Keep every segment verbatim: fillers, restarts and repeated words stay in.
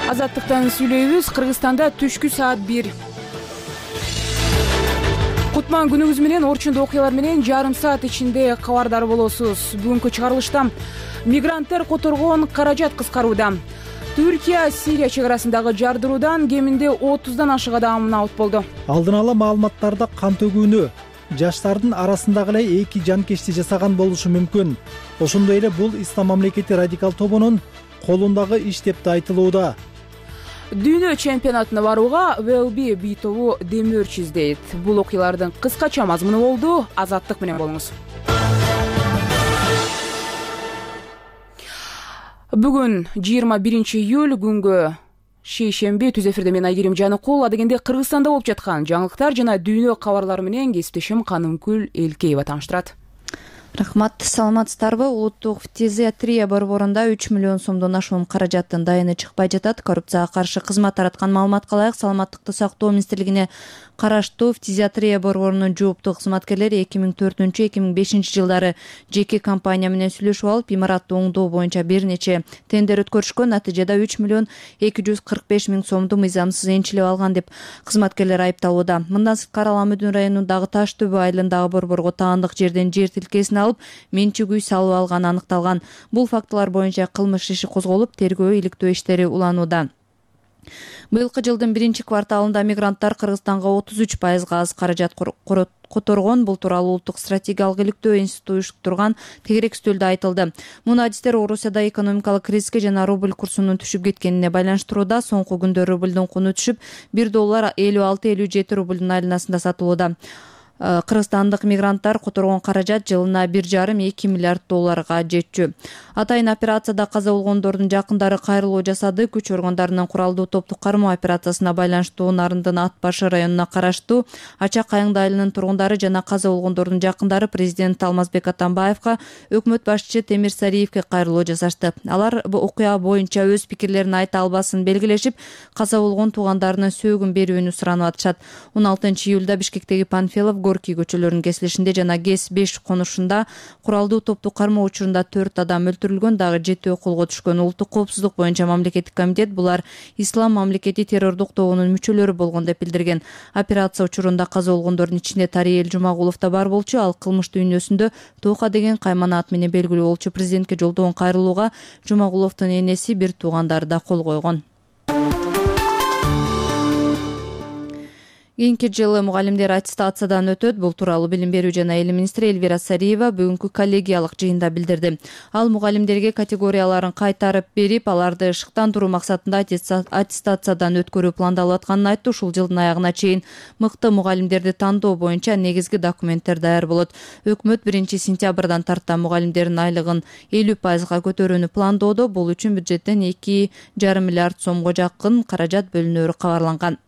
Азаттыктан сүйлөйбүз. Кыргызстанда түшкү саат бир. Кутман күнүңүз менен, орчундуу окуялар менен жарым саат ичинде кабардар болосуз. Бүгүнкү чыгарылышта мигранттар которгон каражат кыскарууда. Түркия Сирия чек арасындагы жардыруудан кеминде отуздан ашык адам наут болду. Алдын ала маалыматтарда кан төгүүнү жаштардын арасындагы эле эки жанкечти жасаган болушу мүмкүн. Ошондой эле бул Ислам мамлекети радикал тобунун колундагы иш деп да айтылууда. Дүйнө чемпионатына барууга ВЛБ бий тобу демөөрчү издейт. Бул окуялардын кыскача мазмуну болду. Азаттык менен болуңуз. Бүгүн жыйырма биринчи июль күнгө шейшемби. Түз эфирде мен Айгерим Жаныкул. Адегенде Кыргызстанда болуп жаткан жаңылыктар жана дүйнө кабарлары менен кесиптешим Канымкүл Элкеева тааныштырат. Рахмат, саламатсыздарбы? Улуттук фтизиатрия борборунда үч миллион сомдон ашуун каражаттын дайыны чыкпай жатат. Коррупцияга каршы кызмат тараткан маалыматка ылайык, саламаттыкты сактоо министрлигине караштуу фтизиатрия борборунун жооптуу кызматкерлери эки миң төртүнчү эки миң бешинчи жылдары жеке компания менен сүйлөшүп алып, имаратты оңдоо боюнча бир нече тендер өткөрүшкөн. Натыйжада үч миллион эки жүз кырк беш миң сомду мыйзамсыз энчилеп алган деп кызматкерлер айыпталууда. Мындан сырткары Ала Мөдүн районундагы Таш төбө айылындагы борборго таандык жерден жер тилкесин алып, менчик үй салып алганы аныкталган. Бул фактылар боюнча кылмыш иши козголуп, тергөө иликтөө иштери уланууда. Быйылкы жылдын биринчи кварталында мигранттар Кыргызстанга отуз үч пайызга аз каражат которгон. Бул тууралуу Улуттук стратегиялык иликтөө институту уюштурган тегерек үстөлдө айтылды. Муну адистер Орусияда экономикалык кризиске жана рубль курсунун түшүп кеткенине байланыштырууда. Соңку күндө рубльдун куну түшүп, бир доллар элүү алты элүү жети рубльдун айланасында сатылууда. Кыргызстандык мигранттар которгон каражат жылына бир жарым эки миллиард долларга жетчү. Атайын операцияда каза болгондордун жакындары кайрылуу жасады. Күч органдарынын куралдуу топтук кармоо операциясына байланыштуу Нарындын Ат башы районуна караштуу Ачак Кайыңды айылынын тургундары жана каза болгондордун жакындары президент Алмазбек Атамбаевка, өкмөт башчысы Темир Сариевке кайрылуу жасашты. Алар бул окуя боюнча өз пикирлерин айта албасын белгилешип, каза болгон туугандарынын сөөгүн берүүнү суранып атышат. он алтынчы июлда Бишкектеги Панфилов, Горький көчөлөрүнүн кесилишинде жана ГЭС беш конушунда куралдуу топтук кармоо учурунда төрт адам өлтүрүлгөн, дагы жетөө колго түшкөн. Улуттук коопсуздук боюнча мамлекеттик комитет булар Ислам мамлекети террордук тобунун мүчөлөрү болгон деп билдирген. Операция учурунда каза болгондордун ичинде Тариел Жумагулов да бар болчу. Ал кылмыш дүйнөсүндө Тока деген каймана ат менен белгилүү болчу. Президентке жолдогон кайрылууга Жумагуловдун энеси, бир туугандары да кол койгон. Кийинки жылы мугалимдер аттестациядан өтөт. Бул тууралуу Билим берүү жана Эл министри Эльвира Сариева бүгүнкү коллегиялык жыйында билдирди. Ал мугалимдерге категорияларын кайтарып берип, аларды шыктандыруу максатында аттестациядан өткөрүү пландалып атканын айтты. Ушул жылдын аягына чейин мыкты мугалимдерди тандоо боюнча негизги документтер даяр болот. Өкмөт биринчи сентябрдан тарта мугалимдердин айлыгын элүү пайызга көтөрүүнү пландоодо. Бул үчүн бюджеттен эки жарым миллиард сомго жакын каражат бөлүнөөрү кабарланган.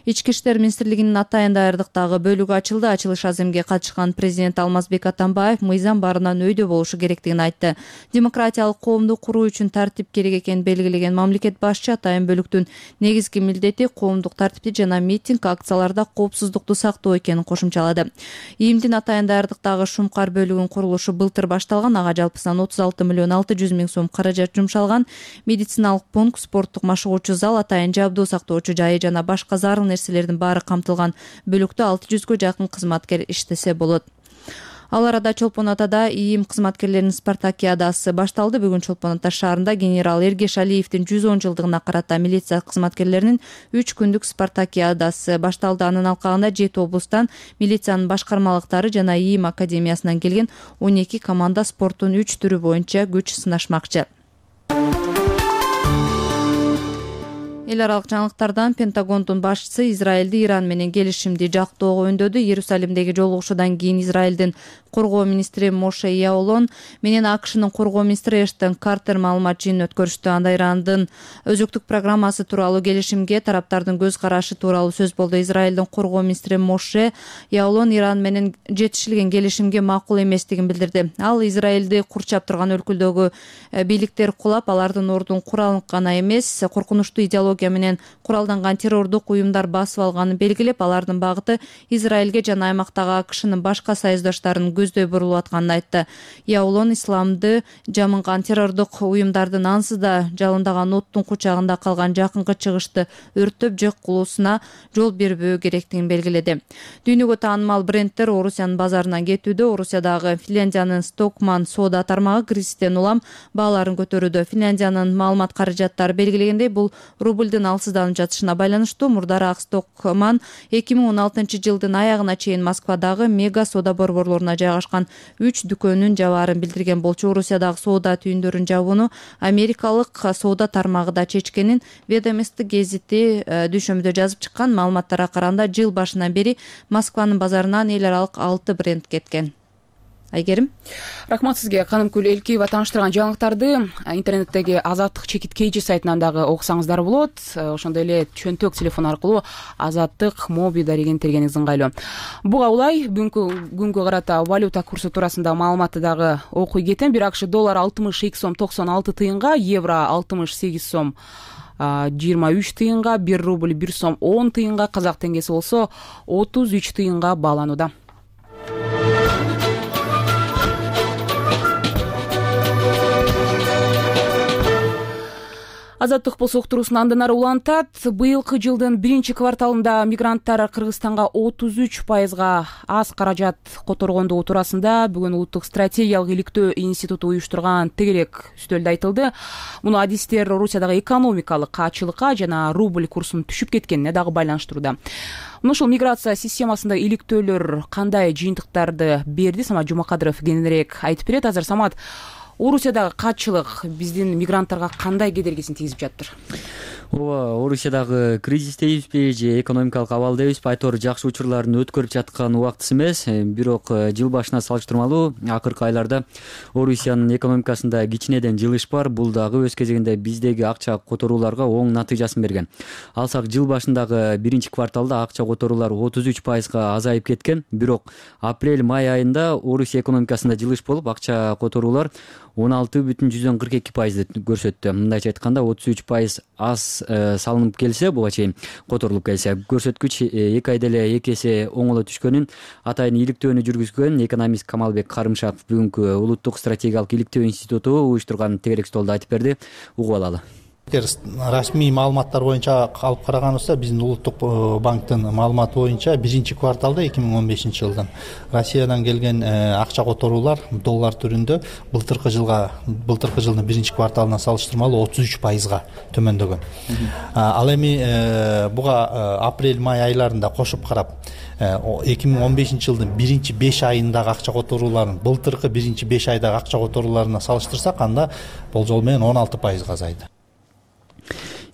Ички иштер министрлигинин атайын даярдыктагы бөлүгү ачылды. Ачылыш аземге катышкан президент Алмазбек Атамбаев мыйзам барынан өйдө болушу керектигин айтты. Демократиялык коомду куруу үчүн тартип керек экенин белгилеген мамлекет башчы атайын бөлүктүн негизги милдети коомдук тартипти жана митинг, акцияларда коопсуздукту сактоо экенин кошумчалады. ИИМдин атайын даярдыктагы Шумкар бөлүгүнүн курулушу былтыр башталган. Ага жалпысынан отуз алты миллион алты жүз миң сом каражат жумшалган. Медициналык пункт, спорттук машыгуучу зал, атайын жабдуу сактоочу жайы жана башка зарыл нерселердин баары камтылган. Бөлүктө алты жүзгө жакын кызматкер иштесе болот. Ал арада Чолпон Атада ИИМ кызматкерлеринин спартакиадасы башталды. Бүгүн Чолпон Ата шаарында генерал Эргеш Алиевдин жүз он жылдыгына карата милиция кызматкерлеринин үч күндүк спартакиадасы башталды. Анын алкагында жети облустан милициянын башкармалыктары жана ИИМ академиясынан келген он эки команда спорттун үч түрү боюнча күч сынашмакчы. Эл аралык жаңылыктардан Пентагондун башчысы Израилди Иран менен келишимди жактоого үндөдү. Иерусалимдеги жолугушуудан кийин Израилдин коргоо министри Моше Яолон менен АКШнын коргоо министри Эштон Картер маалымат жыйынын өткөрүштү. Анда Ирандын өзүктүк программасы тууралуу келишимге тараптардын көз карашы тууралуу сөз болду. Израилдин коргоо министри Моше Яолон Иран менен жетишилген келишимге макул эместигин билдирди. Ал Израилди курчап турган өлкөдөгү бийликтер кулап, алардын ордун куралын гана эмес, коркунучтуу идеология менен куралданган террордук уюмдар басып алганын белгилеп, алардын багыты Израилге жана аймактагы АКШнын башка союздаштарын көздөй бурулуп атканын айтты. Яулон исламды жамынган террордук уюмдардын ансыз да жалындаган оттун кучагында калган жакынкы чыгышты өрттөп жок кылуусуна жол бербөө керектигин белгиледи. Дүйнөгө таанымал брендтер Орусиянын базарынан кетүүдө. Орусиядагы Финляндиянын Стокман соода тармагы кризистен улам бааларын көтөрүүдө. Финляндиянын маалымат каражаттары белгилегендей, бул рубльдин алсызданып жатышына байланыштуу. Мурдараак Стокман эки миң он алтынчы жылдын аягына чейин Москвадагы мега соода борборлоруна жайгашкан үч дүкөнүн жабаарын билдирген болчу. Орусиядагы соода түйүндөрүн жабууну америкалык соода тармагы да чечкенин Ведомости гезити дүйшөмбүдө жазып чыккан. Маалыматтарга караганда жыл башынан бери Москванын базарынан эл аралык алты бренд кеткен. Айгерим, рахмат сизге. Канымкүл Элкиева тааныштырган жаңылыктарды интернеттеги Азаттык чекит кейжи сайтынан дагы окусаңыздар болот. Ошондой эле чөнтөк телефон аркылуу Азаттык моби дарегин тергениңиз ыңгайлуу. Буга улай бүгүнкү күнгө карата валюта курсу туурасында маалыматты дагы окуй кетем. Бир акш доллар алтымыш эки сом токсон алты тыйынга, евро алтымыш сегиз сом жыйырма үч тыйынга, бир рубль бир сом он тыйынга, казак теңгеси болсо отуз үч тыйынга бааланууда. Азаттык болсо уктуруусун андан ары улантат. Быйылкы жылдын биринчи кварталында мигранттар Кыргызстанга отуз үч пайызга аз каражат которгондугу туурасында бүгүн Улуттук стратегиялык иликтөө институту уюштурган тегерек үстөлдө айтылды. Муну адистер Орусиядагы экономикалык каачылыкка жана рубль курсунун түшүп кеткенине дагы байланыштырууда. Мына ушул миграция системасында иликтөөлөр кандай жыйынтыктарды берди? Самат Жумакадыров кененирээк айтып берет. Азыр Самат, Орусиядагы каачылык биздин мигранттарга кандай кедергисин тийгизип жатыр? Ооба, Орусиядагы кризис дейбизби же экономикалык абал дейбизби, айтор жакшы учурларын өткөрүп жаткан убактысы эмес. Бирок жыл башына салыштырмалуу акыркы айларда Орусиянын экономикасында кичинеден жылыш бар. Бул дагы өз кезегинде биздеги акча которууларга оң натыйжасын берген. Алсак, жыл башындагы биринчи кварталда акча которуулар отуз үч пайызга азайып кеткен. Бирок апрель-май айында Орусия экономикасында жылыш болуп, акча которуулар он алты бүтүн жүздөн кырк эки пайызды көрсөттү. Мындайча айтканда отуз үч пайыз аз салынып келсе, буга чейин которулуп келсе, көрсөткүч эки айда эле эки эсе оңоло түшкөнүн атайын иликтөөнү жүргүзгөн экономист Камалбек Карымшаков бүгүнкү Улуттук стратегиялык иликтөө институту уюштурган тегерек столдо айтып берди. Угуп алалы. Эгер расмий маалыматтар боюнча алып караганыбызда, биздин Улуттук банктын маалыматы боюнча биринчи кварталда эки миң он бешинчи жылдан Россиядан келген акча которуулар доллар түрүндө былтыркы жылга былтыркы жылдын биринчи кварталына салыштырмалуу отуз үч пайызга төмөндөгөн. Ал эми буга апрель-май айларында кошуп карап, эки миң он бешинчи жылдын биринчи беш айындагы акча которууларын былтыркы биринчи беш айдагы акча которууларына салыштырсак, анда болжол менен он алты пайызга азайды.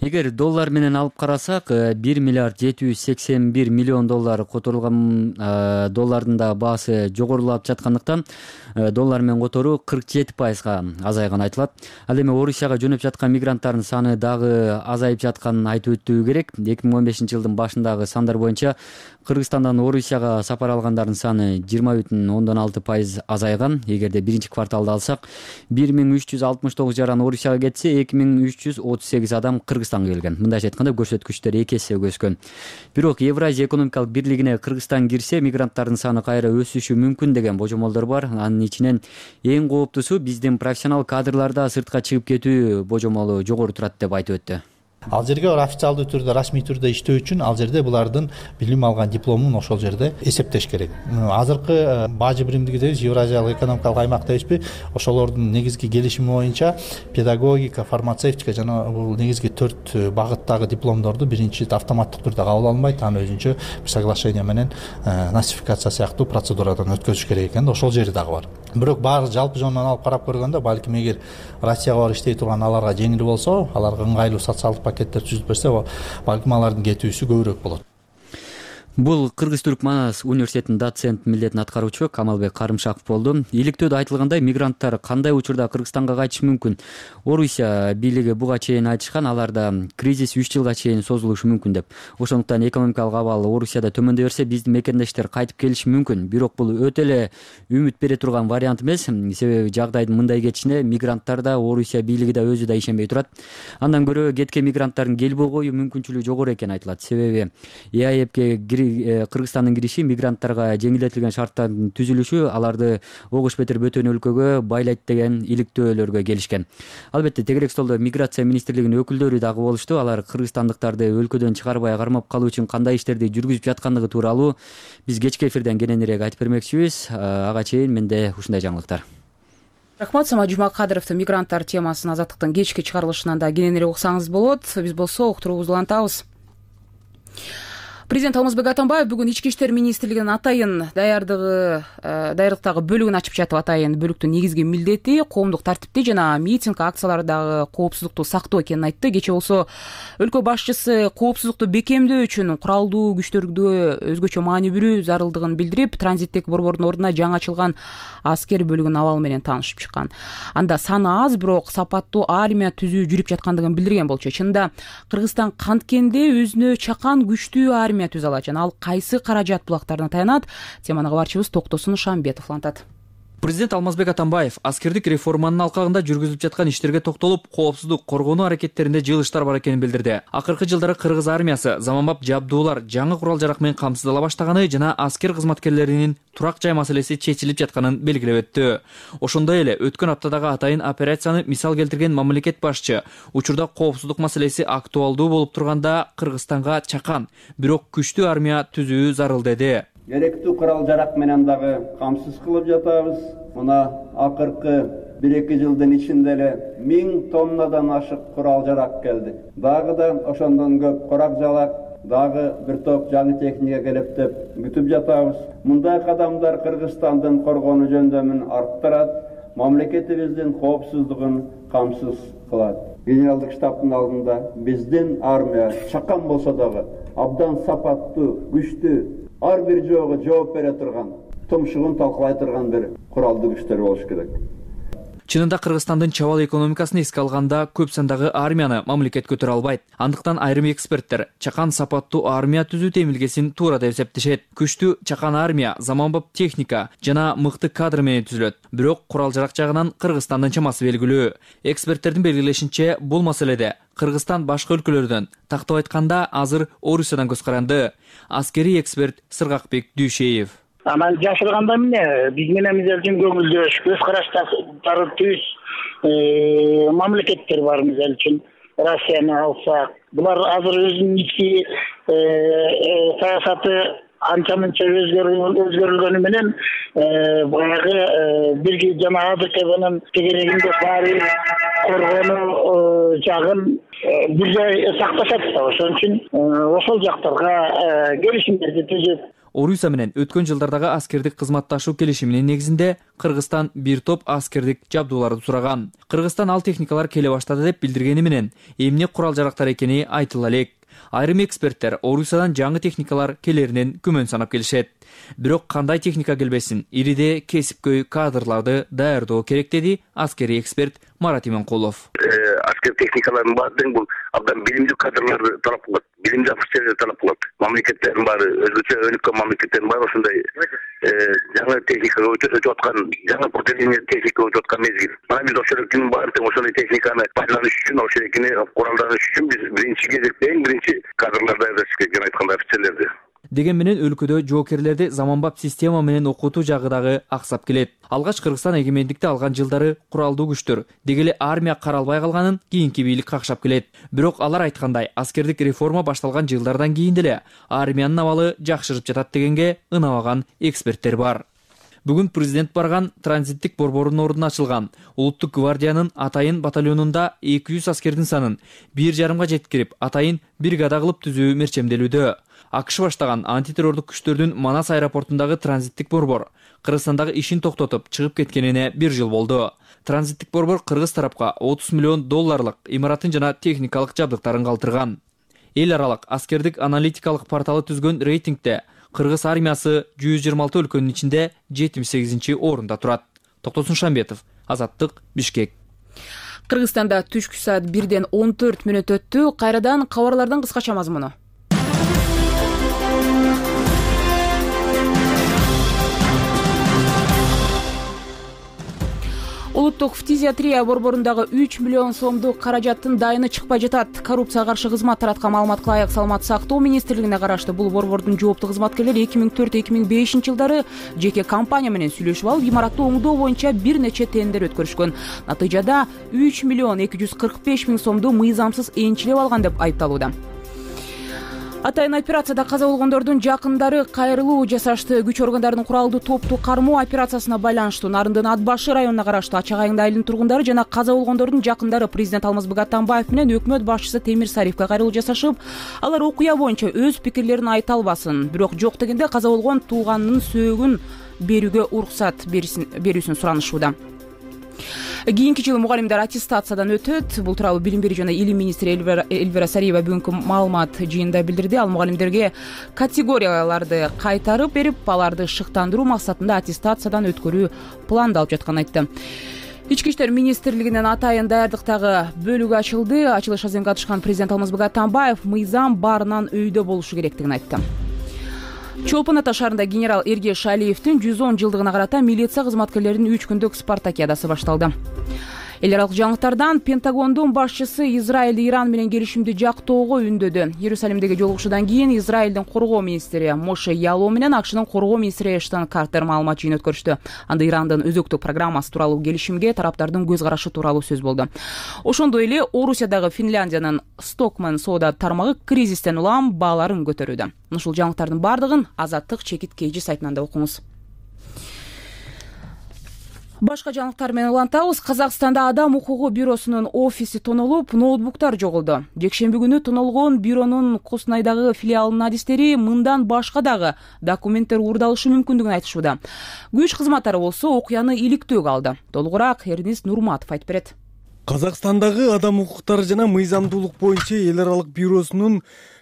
Эгер доллар менен алып карасак, бир миллиард жети жүз сексен бир миллион доллар которулган. Доллардын да баасы жогорулап жаткандыктан доллар менен которуу кырк жети пайызга азайган айтылат. Ал эми Орусияга жөнөп жаткан мигранттардын саны дагы азайып жатканын айтып өтүү керек. эки миң он бешинчи жылдын башындагы сандар боюнча Кыргызстандан Орусияга сапар алгандардын саны жыйырма бүтүн ондон алты пайыз азайган. Эгерде биринчи кварталда алсак, бир миң үч жүз алтымыш тогуз жаран Орусияга кетсе, эки миң үч жүз отуз сегиз адам Кыргызстанга келген. Мындайча айтканда, көрсөткүчтөр эки эсе өскөн. Бирок Евразия экономикалык бирлигине Кыргызстан кирсе, мигранттардын саны кайра өсүшү мүмкүн деген божомолдор бар. Анын ичинен эң кооптусу биздин профессионал кадрларда сыртка чыгып кетүү божомолу жогору турат деп айтып өттү. Ал жерге официалдуу түрдө, расмий түрдө иштөө үчүн ал жерде булардын билим алган дипломун ошол жерде эсептеш керек. Азыркы бажы биримдиги дейбиз, Евразиялык экономикалык аймак дейбизби, ошолордун негизги келишими боюнча педагогика, фармацевтика жана бул негизги төрт багыттагы дипломдорду биринчи автоматтык түрдө кабыл алынбайт, аны өзүнчө бир соглашение менен носификация сыяктуу процедурадан өткөзүш керек экен да, ошол жери дагы бар. Бирок баары жалпы жонунан алып карап көргөндө, балким эгер Россияга барып иштей турган аларга жеңил болсо, аларга ыңгайлуу социалдык пакеттер түзүп берсе, балким алардын кетүүсү көбүрөөк болот. Бул Кыргыз-Түрк Манас университетинин доцент милдетин аткаруучу Камалбек Карымшаков болду. Иликтөөдө айтылгандай, мигранттар кандай учурда Кыргызстанга кайтышы мүмкүн? Орусия бийлиги буга чейин айтышкан, аларда кризис үч жылга чейин созулушу мүмкүн деп. Ошондуктан экономикалык абал Орусияда төмөндөй берсе, биздин мекендештер кайтып келиши мүмкүн. Бирок бул өтө эле үмүт бере турган вариант эмес. Себеби жагдайдын мындай кетишине мигранттар да, Орусия бийлиги да өзү да ишенбей турат. Андан көрө кеткен мигранттардын келбей коюу мүмкүнчүлүгү жогору экени айтылат. Себеби ЭАЭПке Кыргызстандын кириши мигранттарга жеңилдетилген шарттардын түзүлүшү аларды огуш бетер бөтөн өлкөгө байлайт деген иликтөөлөргө келишкен. Албетте тегерек столдо миграция министрлигинин өкүлдөрү дагы болушту. Алар кыргызстандыктарды өлкөдөн чыгарбай кармап калуу үчүн кандай иштерди жүргүзүп жаткандыгы тууралуу биз кечки эфирден кененирээк айтып бермекчибиз. Ага чейин менде ушундай жаңылыктар. Рахмат. Самат Жумакадыровду мигранттар темасын азаттыктын кечки чыгарылышынан да кененирээк уксаңыз болот. Биз болсо уктуруубузду улантабыз. Президент Алмазбек Атамбаев бүгүн Ички иштер министрлигинин атайын даярдыгы даярдыктагы бөлүгүн ачып жатып. Атайын бөлүктүн негизги милдети коомдук тартипти жана митинг акциялардагы коопсуздукту сактоо экенин айтты. Кечээ болсо өлкө башчысы коопсуздукту бекемдөө үчүн куралдуу күчтөргө өзгөчө маани берүү зарылдыгын билдирип, транзиттик борбордун ордуна жаңы ачылган аскер бөлүгүнүн абалы менен таанышып чыккан. Анда саны аз, бирок сапаттуу армия түзүү жүрүп жаткандыгын билдирген болчу. Чынында Кыргызстан канткенде өзүнө чакан күчтүү армия түзө алат жана ал кайсы каражат булактарына таянат? Теманы кабарчыбыз Токтосун Шамбетов улантат. Президент Алмазбек Атамбаев аскердик реформанын алкагында жүргүзүлүп жаткан иштерге токтолуп, коопсуздук коргонуу аракеттеринде жылыштар бар экенин билдирди. Акыркы жылдары кыргыз армиясы заманбап жабдуулар, жаңы курал-жарак менен камсыздала баштаганы жана аскер кызматкерлеринин турак жай маселеси чечилип жатканын белгилеп өттү. Ошондой эле өткөн аптадагы атайын операцияны мисал келтирген мамлекет башчы учурда коопсуздук маселеси актуалдуу болуп турганда Кыргызстанга чакан, бирок күчтүү армия түзүү зарыл деди. Керектүү курал-жарак менен дагы камсыз кылып жатабыз. Мына акыркы бир эки жылдын ичинде эле миң тоннадан ашык курал-жарак келди. Дагы да ошондон көп корак-жалак, дагы бир топ жаңы техника келип деп күтүп жатабыз. Мындай кадамдар Кыргызстандын коргонуу жөндөмүн арттырат, мамлекетибиздин коопсуздугун камсыз кылат. Генералдык штабтын алдында биздин армия чакан болсо дагы абдан сапаттуу, күчтүү, ар бир жоого жооп бере турган, тумшугун талкалай турган бир куралдуу күчтөр болуш керек. Чынында Кыргызстандын чабал экономикасын эске алганда көп сандагы армияны мамлекет көтөрө албайт. Андыктан айрым эксперттер чакан сапаттуу армия түзүү темилгесин туура деп эсептешет. Күчтүү чакан армия заманбап техника жана мыкты кадр менен түзүлөт. Бирок курал-жарак жагынан Кыргызстандын чамасы белгилүү. Эксперттердин белгилешинче, бул маселеде Кыргызстан башка өлкөлөрдөн, тактап айтканда азыр Орусиядан көз каранды. Аскери эксперт Сыргакбек Дүйшеев. Анан жашырганда эмне, биз менен мисалы үчүн көңүлдөш, көз караштары түз мамлекеттер бар. Мисалы үчүн Россияны алсак, булар азыр өзүнүн ички саясаты анча-мынча өзгөрүлгөнү менен баягы бирги жана АДКнын тегерегинде баары коргонуу жагын бир жай сакташат да. Ошон үчүн ошол жактарга келишимдерди түзүп. Орусия менен өткөн жылдардагы аскердик кызматташуу келишиминин негизинде Кыргызстан бир топ аскердик жабдууларды сураган. Кыргызстан ал техникалар келе баштады деп билдиргени менен эмне курал-жарактар экени айтыла элек. Айрым эксперттер Орусиядан жаңы техникалар келеринен күмөн санап келишет. Бирок кандай техника келбесин, ириде кесипкөй кадрларды даярдоо керек деди аскери эксперт Марат Именкулов. Аскер техникалардын баардыгы бул абдан билимдүү кадрларды талап кылат, билимдүү офицерлерди талап кылат. Мамлекеттердин баары, өзгөчө өнүккөн мамлекеттердин баары ошондой жаңы техникага өтүп аткан, жаңы поколение техника өтүп аткан мезгил. Мына биз ошол элкинин баары тең ошондой техниканы пайдаланыш үчүн, ошол элкини куралданыш үчүн биз биринчи кезекте эң биринчи кадрларды даярдаш керек, жана айткандай офицерлерди. Деген менен өлкөдө жоокерлерди заманбап система менен окутуу жагы дагы аксап келет. Алгач Кыргызстан эгемендикти алган жылдары куралдуу күчтөр, деги эле армия каралбай калганын кийинки бийлик какшап келет. Бирок алар айткандай, аскердик реформа башталган жылдардан кийин деле армиянын абалы жакшырып жатат дегенге ынабаган эксперттер бар. Бүгүн президент барган транзиттик борбордун ордуна ачылган Улуттук гвардиянын атайын батальонунда эки жүз аскердин санын бир жарымга жеткирип, атайын бригада кылып түзүү мерчемделүүдө. АКШ баштаган антитеррордук күчтөрдүн Манас аэропортундагы транзиттик борбор Кыргызстандагы ишин токтотуп чыгып кеткенине бир жыл болду. Транзиттик борбор кыргыз тарапка отуз миллион долларлык имаратын жана техникалык жабдыктарын калтырган. Эл аралык аскердик аналитикалык порталы түзгөн рейтингде Кыргыз армиясы жүз жыйырма алты өлкөнүн ичинде жетимиш сегизинчи орунда турат. Токтосун Шамбетов, Азаттык, Бишкек. Кыргызстанда түшкү саат бирден он төрт мүнөт өттү. Кайрадан кабарлардын кыскача мазмуну. Улуттук фтизиатрия борборундагы үч миллион сомдук каражаттын дайыны чыкпай жатат. Коррупцияга каршы кызмат тараткан маалыматка ылайык саламаттык сактоо министрлигине караштуу бул борбордун жооптуу кызматкерлери эки миң төрт эки миң бешинчи жылдары жеке компания менен сүйлөшүп алып имаратты оңдоо боюнча бир нече тендер өткөрүшкөн. Натыйжада үч миллион эки жүз кырк беш миң сомду мыйзамсыз энчилеп алган деп айыпталууда. Атайын операцияда каза болгондордун жакындары кайрылуу жасашты. Күч органдарынын куралдуу топту кармоо операциясына байланыштуу Нарындын ат башы районуна караштуу Ачак айылдын айылынын тургундары жана каза болгондордун жакындары президент Алмазбек Атамбаев менен өкмөт башчысы Темир Сариевке кайрылуу жасашып, алар окуя боюнча өз пикирлерин айта албасын, бирок жок дегенде каза болгон тууганынын сөөгүн берүүгө уруксат берүүсүн суранышууда. Кийинки жылы мугалимдер аттестациядан өтөт. Бул тууралуу билим берүү жана илим министри Эльвира Сариева бүгүнкү маалымат жыйынында билдирди. Ал мугалимдерге категорияларды кайтарып берип, аларды шыктандыруу максатында аттестациядан өткөрүү пландалып жатканын айтты. Ички иштер министрлигинин атайын даярдыктагы бөлүгү ачылды. Ачылыш аземге катышкан президент Алмазбек Атамбаев мыйзам баарынан өйдө болушу керектигин айтты. Чолпон Ата шаарында генерал Эргеш Алиевдин жүз он жылдыгына карата милиция кызматкерлеринин үч күндүк спартакиадасы башталды. Эл аралык жаңылыктардан Пентагондун башчысы Израиль Иран менен келишимди жактоого үндөдү. Иерусалимдеги жолугушуудан кийин Израилдин коргоо министри Моше Яло менен АКШнын коргоо министри Эштон Картер маалымат жыйын өткөрүштү. Анда Ирандын өзөктүк программасы тууралуу келишимге тараптардын көз карашы тууралуу сөз болду. Ошондой эле Орусиядагы Финляндиянын Стокман соода тармагы кризистен улам бааларын көтөрүүдө. Ушул жаңылыктардын бардыгын Азаттык чекит кейжи сайтынан да окуңуз. Башка жаңылыктар менен улантабыз. Казакстанда Адам укугу бюросунун офиси тонолуп, ноутбуктар жоголду. Жекшемби күнү тонолгон бюронун Коснайдагы филиалынын адистери мындан башка дагы документтер уурдалышы мүмкүндүгүн айтышууда. Күч кызматтары болсо окуяны иликтөөгө алды. Толугураак Эрнис Нурматов айтып берет. Казакстандагы адам укуктары жана мыйзамдуулук боюнча эл аралык бюросунун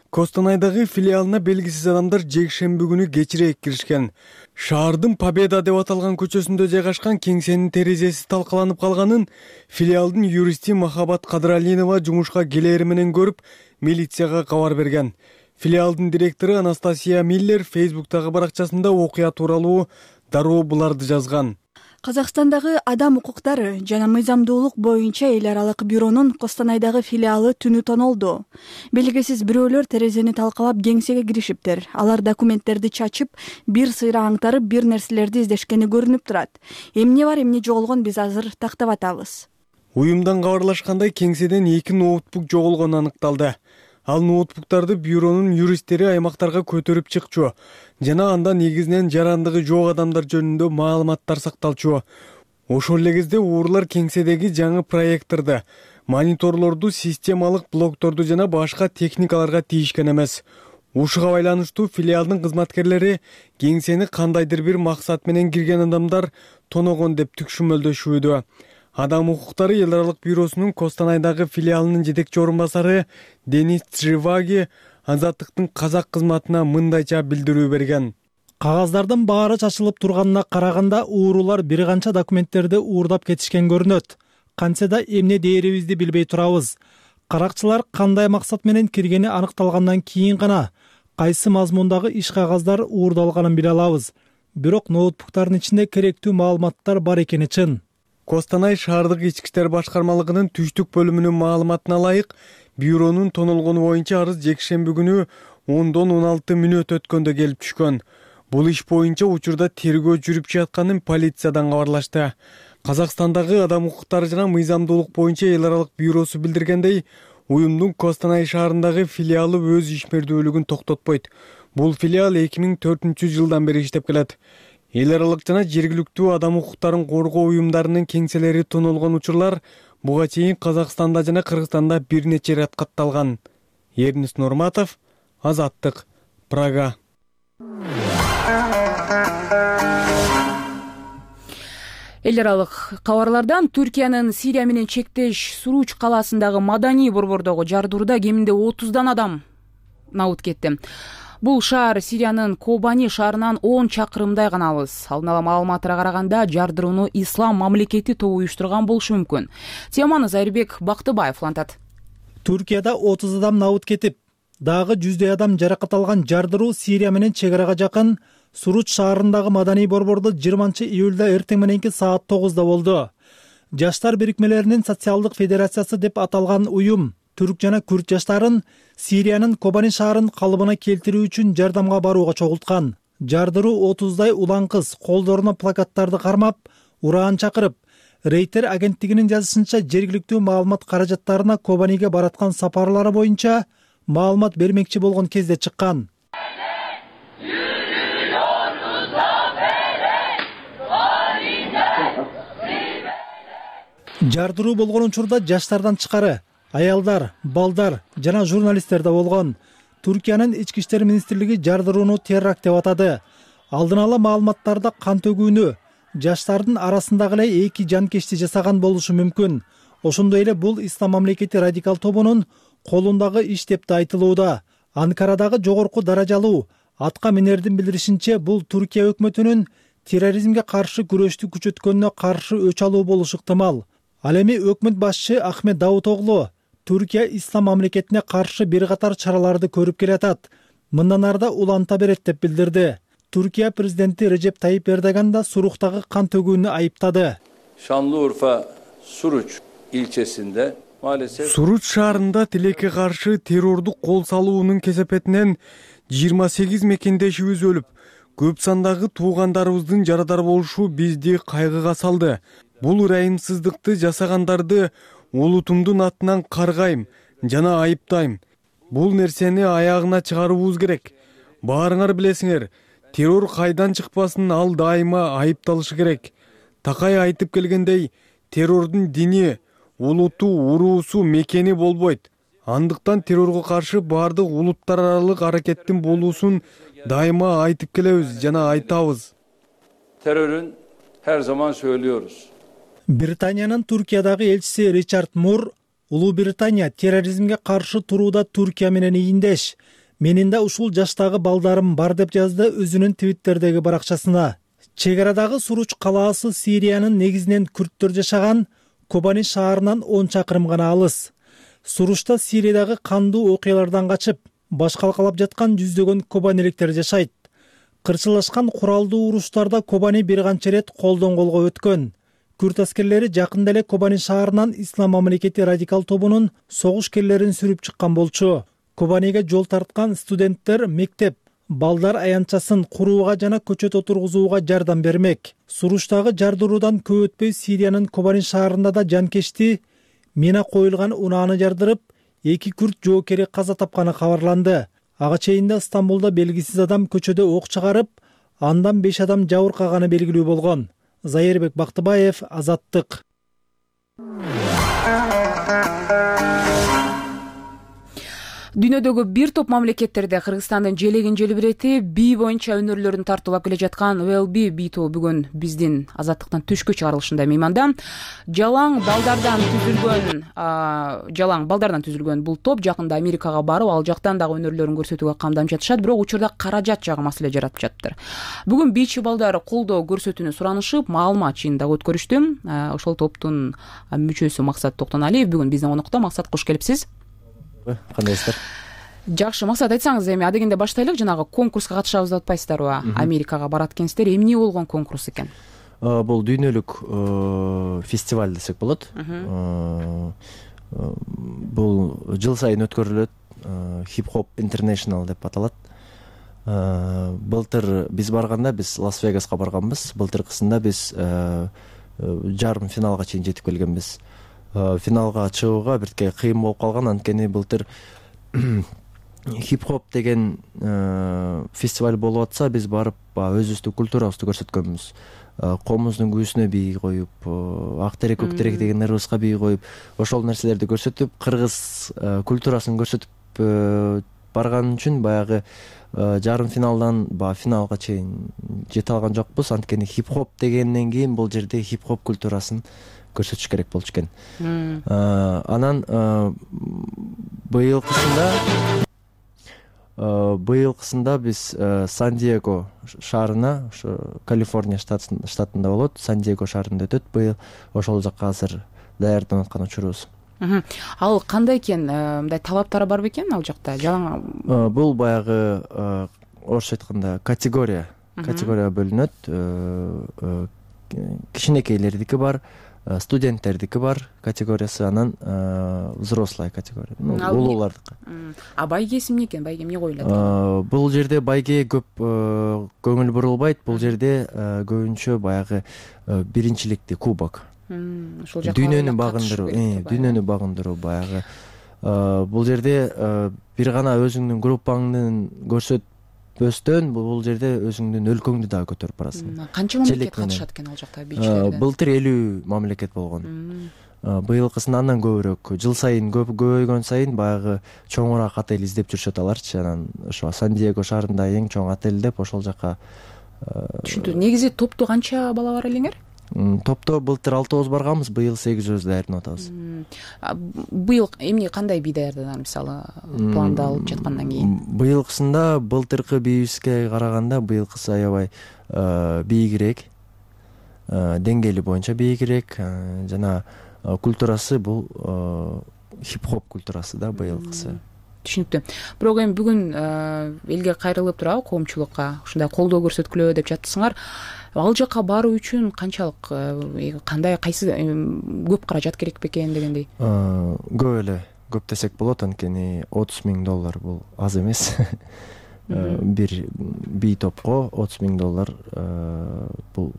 Костанайдагы филиалына белгисиз адамдар жекшемби күнү кечирээк киришкен. Шаардын Победа деп аталган көчөсүндө жайгашкан кеңсенин терезеси талкаланып калганын филиалдын юристи Махабат Кадралинова жумушка келери менен көрүп, милицияга кабар берген. Филиалдын директору Анастасия Миллер Фейсбуктагы баракчасында окуя тууралуу дароо буларды жазган. Казакстандагы адам укуктары жана мыйзамдуулук боюнча эл аралык бюронун Костанайдагы филиалы түнү тонолду. Белгисиз бирөөлөр терезени талкалап кеңсеге киришиптир. Алар документтерди чачып, бир сыйра аңтарып, бир нерселерди издешкени көрүнүп турат. Эмне бар, эмне жоголгон биз азыр тактап атабыз. Уюмдан кабарлашкандай кеңседен эки ноутбук жоголгону аныкталды. Ал ноутбуктарды бюронун юристтери аймактарга көтөрүп чыкчу жана анда негизинен жарандыгы жок адамдар жөнүндө маалыматтар сакталчу. Ошол эле кезде уурлар кеңседеги жаңы проекторду, мониторлорду, системалык блокторду жана башка техникаларга тийишкен эмес. Ушуга байланыштуу филиалдын кызматкерлери кеңсени кандайдыр бир максат менен кирген адамдар тоногон деп түшүнмөлдөшүүдө. Адам укуктары эл аралык бюросунун Костанайдагы филиалынын жетекчи орун басары Денис Цживаги Азаттыктын казак кызматына мындайча билдирүү берген. Кагаздардын баары чачылып турганына караганда уурулар бир канча документтерди уурдап кетишкен көрүнөт. Кантсе да эмне дээрибизди билбей турабыз. Каракчылар кандай максат менен киргени аныкталгандан кийин гана кайсы мазмундагы иш кагаздар уурдалганын биле алабыз. Бирок ноутбуктардын ичинде керектүү маалыматтар бар экени чын. Костанай шаардык ички иштер башкармалыгынын түштүк бөлүмүнүн маалыматына ылайык, бюронун тонолгону боюнча арыз жекшемби күнү ондон он алты мүнөт өткөндө келип түшкөн. Бул иш боюнча учурда тергөө жүрүп жатканын полициядан кабарлашты. Казакстандагы адам укуктары жана мыйзамдуулук боюнча эл аралык бюросу билдиргендей, уюмдун Костанай шаарындагы филиалы өз ишмердүүлүгүн токтотпойт. Бул филиал эки миң төртүнчү жылдан бери иштеп келет. Эл аралык жана жергиликтүү адам укуктарын коргоо уюмдарынын кеңселери тонолгон учурлар буга чейин Казакстанда жана Кыргызстанда бир нече ирет катталган. Эрнис Нурматов, Азаттык, Прага. Эл аралык кабарлардан Түркиянын Сирия менен чектеш Суруч калаасындагы маданий борбордогу жардырууда кеминде отуздан адам набыт кетти. Бул шаар Сириянын Кобани шаарынан он чакырымдай гана алыс. Алдын ала маалыматтарга караганда жардырууну Ислам мамлекети тобу уюштурган болушу мүмкүн. Теманы Зайырбек Бактыбаев улантат. Түркияда отуз адам набыт кетип, дагы жүздөй адам жаракат алган жардыруу Сирия менен чек арага жакын Суруч шаарындагы маданий борбордо жыйырманчы июлда эртең мененки саат тогузда болду. Жаштар бирикмелеринин социалдык федерациясы деп аталган уюм түрк жана күрд жаштарын Сириянын Кобани шаарын калыбына келтирүү үчүн жардамга барууга чогулткан. Жардыруу отуздай улан кыз колдоруна плакаттарды кармап, ураан чакырып, Рейтер агенттигинин жазышынча жергиликтүү маалымат каражаттарына Кобаниге бараткан сапарлары боюнча маалымат бермекчи болгон кезде чыккан. Жардыруу болгон учурда жаштардан тышкары аялдар, балдар жана журналисттер да болгон. Түркиянын ички иштер министрлиги жардырууну теракт деп атады. Алдын ала маалыматтарда кан төгүүнү жаштардын арасындагы эле эки жанкечти жасаган болушу мүмкүн. Ошондой эле бул Ислам мамлекети радикал тобунун колундагы иш деп да айтылууда. Анкарадагы жогорку даражалуу атка минердин билдиришинче, бул Түркия өкмөтүнүн терроризмге каршы күрөштү күчөткөнүнө каршы өч алуу болушу ыктымал. Ал эми өкмөт башчы Ахмет Давутоглу Түркия Ислам мамлекетине каршы бир катар чараларды көрүп келатат. Мындан арда уланта берет деп билдирди. Түркия президенти Режеп Тайип Эрдоган да Суруктагы кан төгүүнү айыптады. Şanlıurfa Suruç ilçesinde maalesef Суруч шаарында тилекке каршы террордук кол салуунун кесепетинен жыйырма сегиз мекендешибиз өлүп, көп сандагы туугандарыбыздын жарадар болушу бизди кайгыга салды. Бул ырайымсыздыкты жасагандарды улутумдун атынан каргайм жана айыптайм. Бул нерсени аягына чыгарууубуз керек. Баарыңар билесиңер, террор кайдан чыкпасын, ал дайыма айыпталышы керек. Такай айтып келгендей, террордун дини, улуту, уруусу, мекени болбойт. Андыктан террорго каршы баардык улуттар аралык аракеттин болуусун дайыма айтып келебиз жана айтабыз. Terörün her zaman söylüyoruz. Британиянын Түркиядагы элчиси Ричард Мур, Улуу Британия терроризмге каршы турууда Түркия менен ийиндеш. Менин да ушул жаштагы балдарым бар деп жазды өзүнүн Твиттердеги баракчасына. Чек арадагы Суруч калаасы Сириянын негизинен күрттөр жашаган Кобани шаарынан он чакырым гана алыс. Суручта Сириядагы кандуу окуялардан качып, баш калкалап жаткан жүздөгөн кобаниликтер жашайт. Кырчылашкан куралдуу уруштарда Кобани бир канча ирет колдон колго өткөн. Күрт аскерлери жакында эле Кобани шаарынан Ислам мамлекети радикал тобунун согушкерлерин сүрүп чыккан болчу. Кобаниге жол тарткан студенттер мектеп, балдар аянтчасын курууга жана көчөт отургузууга жардам бермек. Суручтагы жардыруудан көп өтпөй Сириянын Кобани шаарында да жанкечти мина коюлган унааны жардырып, эки күрт жоокери каза тапканы кабарланды. Ага чейинде Стамбулда белгисиз адам көчөдө ок чыгарып, андан беш адам жабыркаганы белгилүү болгон. Зайырбек Бактыбаев, Азаттык. Дүйнөдөгү бир топ мамлекеттерде Кыргызстандын желегин желбиретип, бий боюнча өнөрлөрүн тартуулап келе жаткан Велби бий тобу бүгүн биздин Азаттыктан түшкү чыгарылышында мейманда. Жалаң балдардан түзүлгөн, жалаң балдардан түзүлгөн бул топ жакында Америкага барып, ал жактан дагы өнөрлөрүн көрсөтүүгө камданып жатышат, бирок учурда каражат жагы маселе жаратып жатыптыр. Бүгүн бийчи балдар колдоо көрсөтүүнү суранышып, маалымат жыйынын дагы өткөрүштү. Ошол топтун мүчөсү Максат Токтоналиев бүгүн биздин конокто. Максат, кош келипсиз. Кандайсыздар? Жакшы, Максат, айтсаңыз эми адегенде баштайлык, жанагы конкурска катышабыз деп атпайсыздарбы? Америкага барат экенсиздер. Эмне болгон конкурс экен? Бул дүйнөлүк фестиваль десек болот. Бул жыл сайын өткөрүлөт. Hip Hop International деп аталат. Былтыр биз барганда биз Лас-Вегаска барганбыз. Былтыркысында биз жарым финалга чейин жетип келгенбиз. Финалга чыгууга бирке кыйын болуп калган, анткени былтыр хип-хоп деген фестиваль болуп атса, биз барып өзүбүздүн культурабызды көрсөткөнбүз. Комуздун күүсүнө бий коюп, ак терек, көк терек деген ырыбызга бий коюп, ошол нерселерди көрсөтүп, кыргыз культурасын көрсөтүп барган үчүн баягы жарым финалдан ба финалга чейин жете алган жокпуз. Анткени хип-хоп дегенден кийин бул жерде хип-хоп культурасын көрсөтүш керек болчу экен. Анан быйылкысында быйылкысында биз Сан-Диего шаарына, ошо Калифорния штатында болот, Сан-Диего шаарында өтөт. Быйыл ошол жакка азыр даярданып аткан учурубуз. Ал кандай экен? Мындай талаптары бар бекен ал жакта? Жалаң бул баягы орусча айтканда категория, категория бөлүнөт. Кичинекейлердики бар, студенттердики бар категориясы, анан взрослая категория, улуулардыкы. А байгеси эмне экен? Байге эмне коюлат? Бул жерде байгеге көп көңүл бурулбайт. Бул жерде көбүнчө баягы биринчиликти, кубок, дүйнөнү багындыруу, дүйнөнү багындыруу баягы. Бул жерде бир гана өзүңдүн группаңдын көрсөтпөстөн бул жерде өзүңдүн өлкөңдү дагы көтөрүп барасың. Канча мамлекет катышат экен ал жакта бийчилерден? Былтыр элүү мамлекет болгон. Быйылкысында андан көбүрөөк. Жыл сайын көбөйгөн сайын баягы чоңураак отель издеп жүрүшөт аларчы. Анан ошо Сан-Диего шаарында эң чоң отель деп ошол жака. Түшүнүктүү. Негизи топту канча бала бар элеңер? Топто былтыр алтыбыз барганбыз, быйыл сегизибиз даярданып атабыз. Быйыл эмне, кандай бий даярдаган, мисалы, пландалып жаткандан кийин? Быйылкысында былтыркы бийибизге караганда быйылкысы аябай бийигирээк, деңгээли боюнча бийигирээк, жана культурасы бул хип-хоп культурасы да быйылкысы. Түшүнүктүү. Бирок эми бүгүн элге кайрылып турабы, коомчулукка ушундай колдоо көрсөткүлө деп жатсыңар. Ал жака баруу үчүн канчалык, кандай, кайсы көп каражат керек бекен дегендей? Көп эле, көп десек болот, анткени отуз миң доллар бул аз эмес. Бир бий топко отуз миң доллар бул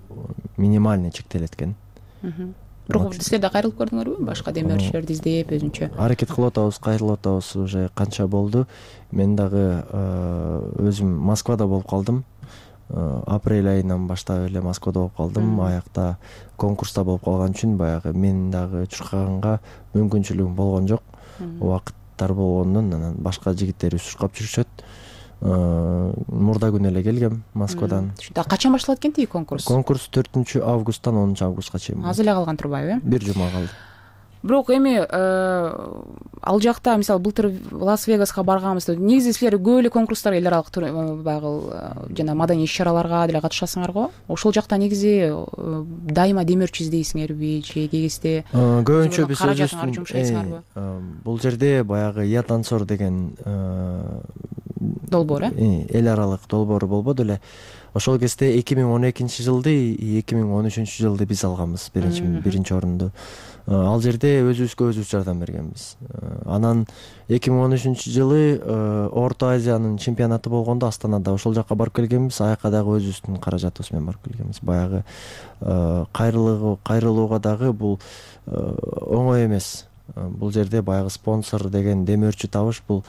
минимальный чектелет экен. Бирок силер да кайрылып көрдүңөрбү? Башка демөөрчүлөрдү издеп өзүнчө? Аракет кылып атабыз, кайрылып атабыз, уже канча болду. Мен дагы өзүм Москвада болуп калдым. Апрель айынан баштап эле Москвада болуп калдым. Аякта конкурста болуп калган үчүн баягы мен дагы чуркаганга мүмкүнчүлүгүм болгон жок. Убакыттар болгондон анан башка жигиттерибиз чуркап жүрүшөт. Мурда күнү эле келгем Москвадан. Качан башталат экен тиги конкурс? Конкурс төртүнчү августтан онунчу августка чейин. Аз эле калган турбайбы, э? Бир жума калды. Бирок эми ал жакта, мисалы, былтыр Лас-Вегаска барганбызда, негизи силер көп эле конкурстарга, эл аралык баягы жана маданий иш-чараларга деле катышасыңар го. Ошол жакта негизи дайыма демөөрчү издейсиңерби же кегисте? Көбүнчө биз өзүбүздүн бул жерде баягы Я танцор деген долбоор, э? Эл аралык долбоору болбоду эле. Ошол кезде эки миң он экинчи жылды, эки миң он үчүнчү жылды биз алганбыз биринчи биринчи орунду. Ал жерде өзүбүзгө өзүбүз жардам бергенбиз. Анан эки миң он үчүнчү жылы Орто Азиянын чемпионаты болгондо Астанада ошол жака барып келгенбиз. Аяка дагы өзүбүздүн каражатыбыз менен барып келгенбиз. Баягы кайрылуу кайрылууга дагы бул оңой эмес. Бул жерде баягы спонсор деген демөөрчү табыш бул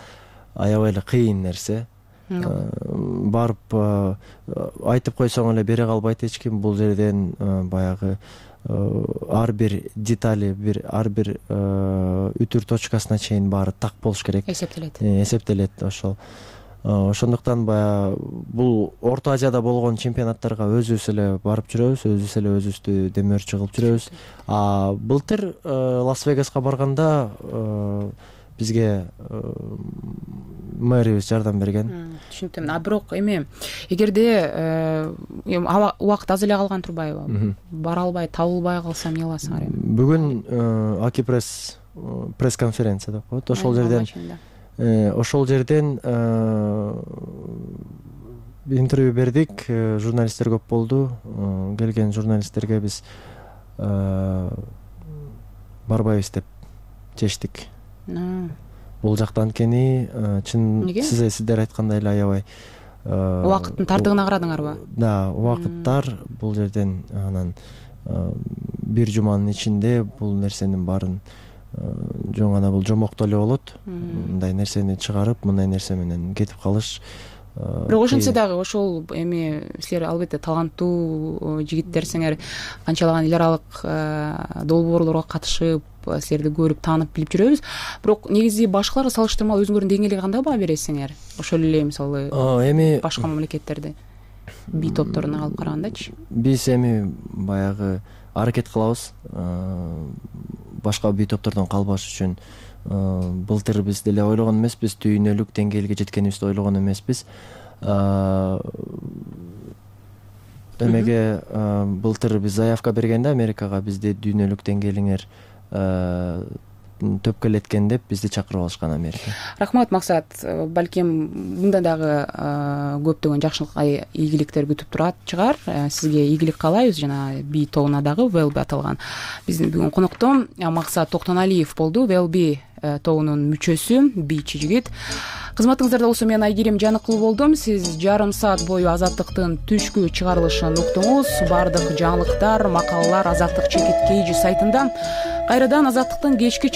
аябай эле кыйын нерсе. Барып айтып койсоң эле бере калбайт эч ким. Бул жерден баягы ар бир детали, бир ар бир үтүр точкасына чейин баары так болуш керек. Эсептелет. Эсептелет ошол. Ошондуктан баягы бул Орто Азияда болгон чемпионаттарга өзүбүз эле барып жүрөбүз, өзүбүз эле өзүбүздү демөөрчү кылып жүрөбүз. А былтыр Лас-Вегаска барганда бизге мэрибиз жардам берген. Түшүнүктүү. А бирок эми эгерде убакыт аз эле калган турбайбы? Бара албай, табылбай калса эмне кыласыңар эми? Бүгүн Акипресс пресс-конференция деп коет. Ошол жерден ошол жерден интервью бердик. Журналисттер көп болду. Келген журналисттерге биз барбайбыз деп чечтик. Бул жакта анткени чын сиздер айткандай эле аябай убакыттын тардыгына карадыңарбы? Да, убакыттар бул жерден анан бир жуманын ичинде бул нерсенин баарын жөн гана бул жомоктоо эле болот. Мындай нерсени чыгарып, мындай нерсе менен кетип калыш. Бирок ошентсе дагы ошол эми силер албетте таланттуу жигиттерсиңер, канчалаган эл аралык долбоорлорго катышып, силерди көрүп, таанып, билип жүрөбүз. Бирок негизи башкаларга салыштырмалуу өзүңөрдүн деңгээлиңерге кандай баа бересиңер? Ошол эле мисалы эми башка мамлекеттерди бий топторуна алып карагандачы? Биз эми баягы аракет кылабыз башка бий топтордон калбаш үчүн. Былтыр биз деле ойлогон эмеспиз, дүйнөлүк деңгээлге жеткенибизди ойлогон эмеспиз. Эмеге былтыр биз заявка бергенде Америкага бизди дүйнөлүк деңгээлиңер төпкө илеткен деп бизди чакырып алышкан Америка. Рахмат Максат. Балким мындан дагы көптөгөн жакшылык ийгиликтер күтүп турат чыгар. Сизге ийгилик каалайбыз. Жана би тобуна дагы Велби аталган биздин бүгүн коноктом Максат Токтоналиев болду. Велби тобунун мүчөсү, бийчи жигит. Кызматыңыздарда болсо мен Айгерим Жаныкулу болдум. Сиз жарым саат бою Азаттыктын түшкү чыгарылышын уктуңуз. Бардык жаңылыктар, макалалар Азаттык чекит кейжи сайтында. Кайрадан Азаттыктын кечки